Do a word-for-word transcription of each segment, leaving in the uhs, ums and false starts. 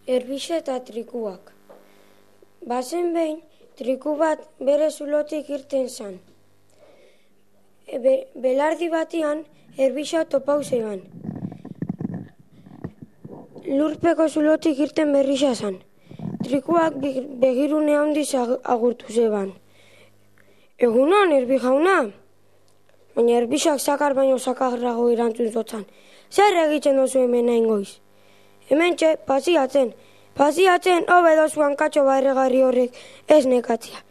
Erbixa eta trikuak. Bazen behin, triku bat bere zulotik irten zan. Be, belardi batian, erbixa topau zeban. Lurpeko zulotik irten berrixa zan. Trikuak begirune handiz agurtu zeban. Egunon, erbi jauna? Baina erbixak zakar baino zakarrago erantzun zotzan. Zer egiten dozu hemen nahin goiz? Hemen txe, pasiatzen. Pasiatzen, hobedozu hankatxo barregarri horrek ez nekatzia.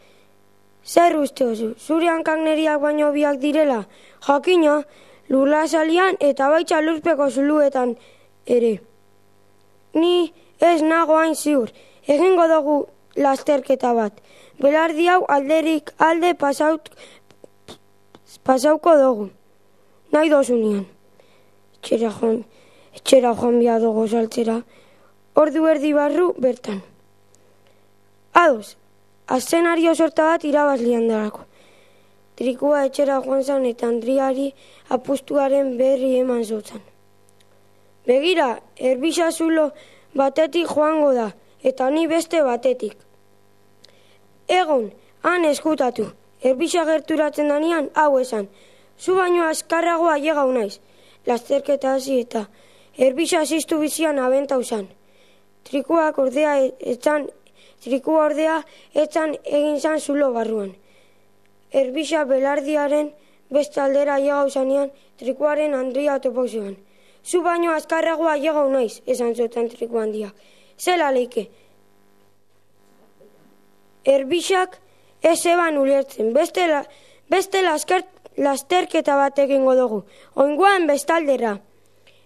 Zer uste oso, zure hankak neriak baino biak direla? Jakina, lurla salian eta baitza lurpeko zuluetan ere. Ni ez nago hain ziur, egingo dugu lasterketa bat. Belardi hau alderik alde pasaut, pasauko dugu. Nahi dozunean. Etxera joan, etxera joan bia dugu saltzera. Ordu erdi barru bertan. Ados, aszenario sorta bat irabazlian darako. Trikua etxera joan zan eta Andriari apustuaren berri eman zotzan. Begira, erbixa zulo batetik joango da, eta ni beste batetik. Egon, han eskutatu, erbixa gerturatzen danean hau esan. Zu baino azkarragoa llegau naiz. Lasterketa hasi eta erbixa ziztu bizian abentau zan. Trikuak ordea etzan, trikua ordea etzan egin zan zulo barruan. Erbixa belardiaren beste aldera llegau zanean, trikuaren Andria topau zeban. Zu baino azkarragoa llegau naiz, esan zotan triku handiak. Zela leike. Erbixak ez eban ulertzen, beste, la, beste lasker, lasterketa bat egingo dugu, oingoan bestaldera.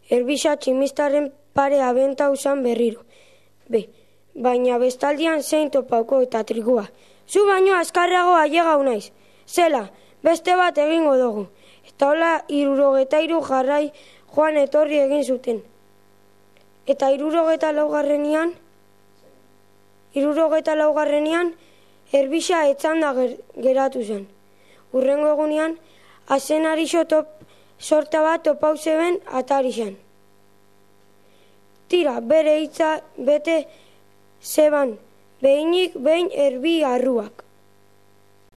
Erbixa tximistaren pare abentau zan berriro. Be, baina bestaldian zein topauko eta trikua. Zu baino azkarragoa llegau naiz. Zela, beste bat egingo dugu. Eta hola hirurogeta hiru jarrai joan etorri egin zuten. Eta hirurogeta laugarrenian, hirurogeta laugarrenian, erbixa etzanda ger, geratu zen. Urrengo egunean, azenarixo top, sorta bat topau zeben atari zen. Tira, bere hitza bete zeban, behinik behin erbi arruak.